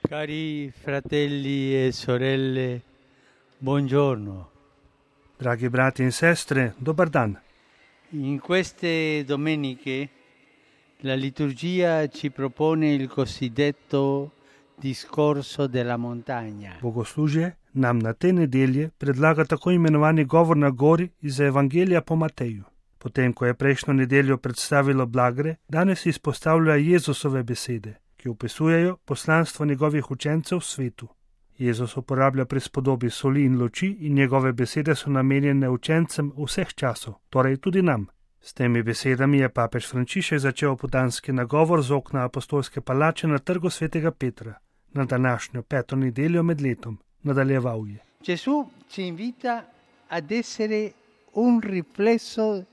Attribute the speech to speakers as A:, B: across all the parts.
A: Cari fratelli e sorelle, buongiorno.
B: Dragi brati in sestre, dobar dan.
A: In queste domeniche la liturgia ci propone il cosiddetto discorso della montagna.
B: Bogoslužje nam na te nedelje predlaga tako imenovani govor na gori iz Evangelija po Mateju. Potem, ko je prejšnjo nedeljo predstavilo blagre, danes izpostavlja Jezusove besede, ki opisujejo poslanstvo njegovih učencev v svetu. Jezus uporablja prispodobi soli in luči in njegove besede so namenjene učencem vseh časov, torej tudi nam. S temi besedami je papež Frančišek začel opoldanski nagovor z okna apostolske palače na trgu svetega Petra, na današnjo 5. nedeljo med letom. Nadaljeval je.
A: Gesù ci invita ad essere un riflesso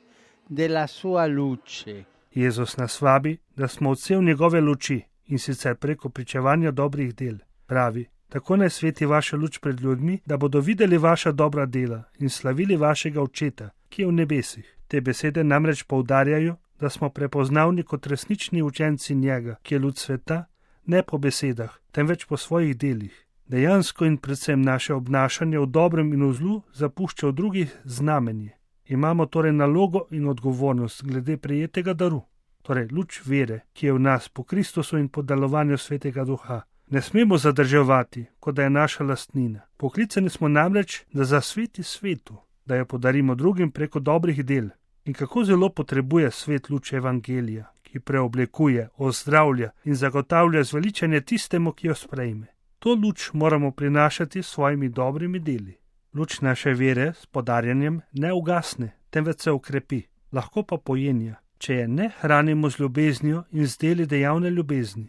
A: della sua luce.
B: Jezus nas vabi, da smo odsev njegove luči in sicer preko pričevanja dobrih del. Pravi, tako naj sveti vaša luč pred ljudmi, da bodo videli vaša dobra dela in slavili vašega Očeta, ki je v nebesih. Te besede namreč poudarjajo, da smo prepoznavni kot resnični učenci njega, ki je luč sveta, ne po besedah, temveč po svojih delih. Dejansko in predvsem naše obnašanje v dobrem in v zlu zapušča v drugih znamenje. Imamo torej nalogo in odgovornost glede prejetega daru, torej luč vere, ki je v nas po Kristusu in po delovanju Svetega Duha. Ne smemo zadrževati, kot da je naša lastnina. Poklicani smo namreč, da zasveti svetu, da jo podarimo drugim preko dobrih del. In kako zelo potrebuje svet luč Evangelija, ki preoblikuje, ozdravlja in zagotavlja zveličanje tistemu, ki jo sprejme. To luč moramo prinašati s svojimi dobrimi deli. Luč naše vere s podarjanjem ne ugasne, temveč se ukrepi, lahko pa pojenja, če je ne hranimo z ljubeznijo in z deli dejavne ljubezni.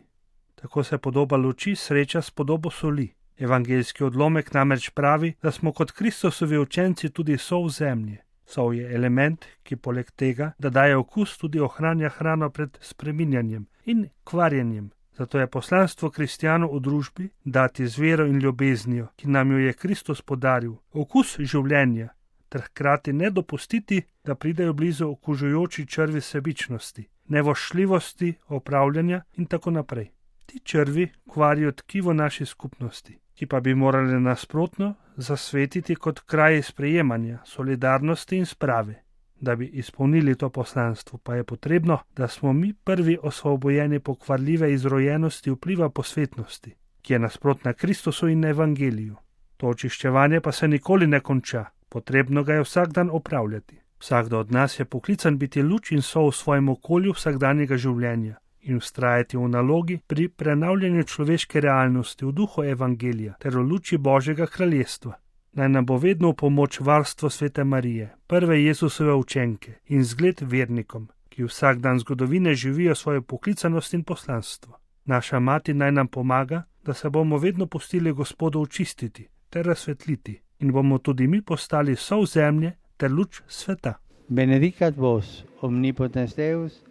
B: Tako se podoba luči sreča s podobo soli. Evangeljski odlomek namreč pravi, da smo kot Kristusovi učenci tudi sol zemlje. Sol je element, ki poleg tega, da daje okus, tudi ohranja hrano pred spreminjanjem in kvarjenjem. Zato je poslanstvo kristjanov v družbi dati z vero in ljubeznijo, ki nam jo je Kristus podaril, okus življenja, ter hkrati ne dopustiti, da pridejo blizu okužujoči črvi sebičnosti, nevoščljivosti, opravljanja in tako naprej. Ti črvi kvarijo tkivo naši skupnosti, ki pa bi morali nasprotno zasvetiti kot kraj sprejemanja, solidarnosti in sprave. Da bi izpolnili to poslanstvo, pa je potrebno, da smo mi prvi osvobojeni pokvarljive izrojenosti vpliva posvetnosti, ki je nasprotna Kristusu in Evangeliju. To očiščevanje pa se nikoli ne konča, potrebno ga je vsak dan opravljati. Vsakdo od nas je poklican biti luč in sol v svojem okolju vsakdanjega življenja in vztrajati v nalogi pri prenavljanju človeške realnosti v duhu Evangelija ter v luči Božjega kraljestva. Naj nam bo vedno v pomoč varstvo Svete Marije, prve Jezusove učenke in zgled vernikom, ki vsak dan zgodovine živijo svojo poklicanost in poslanstvo. Naša mati naj nam pomaga, da se bomo vedno pustili Gospodu očistiti ter razsvetliti in bomo tudi mi postali sol zemlje ter luč sveta.
A: Benedicat vos omnipotens Deus,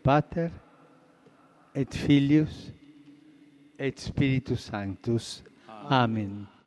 A: Pater et Filius et Spiritus Sanctus. Amen.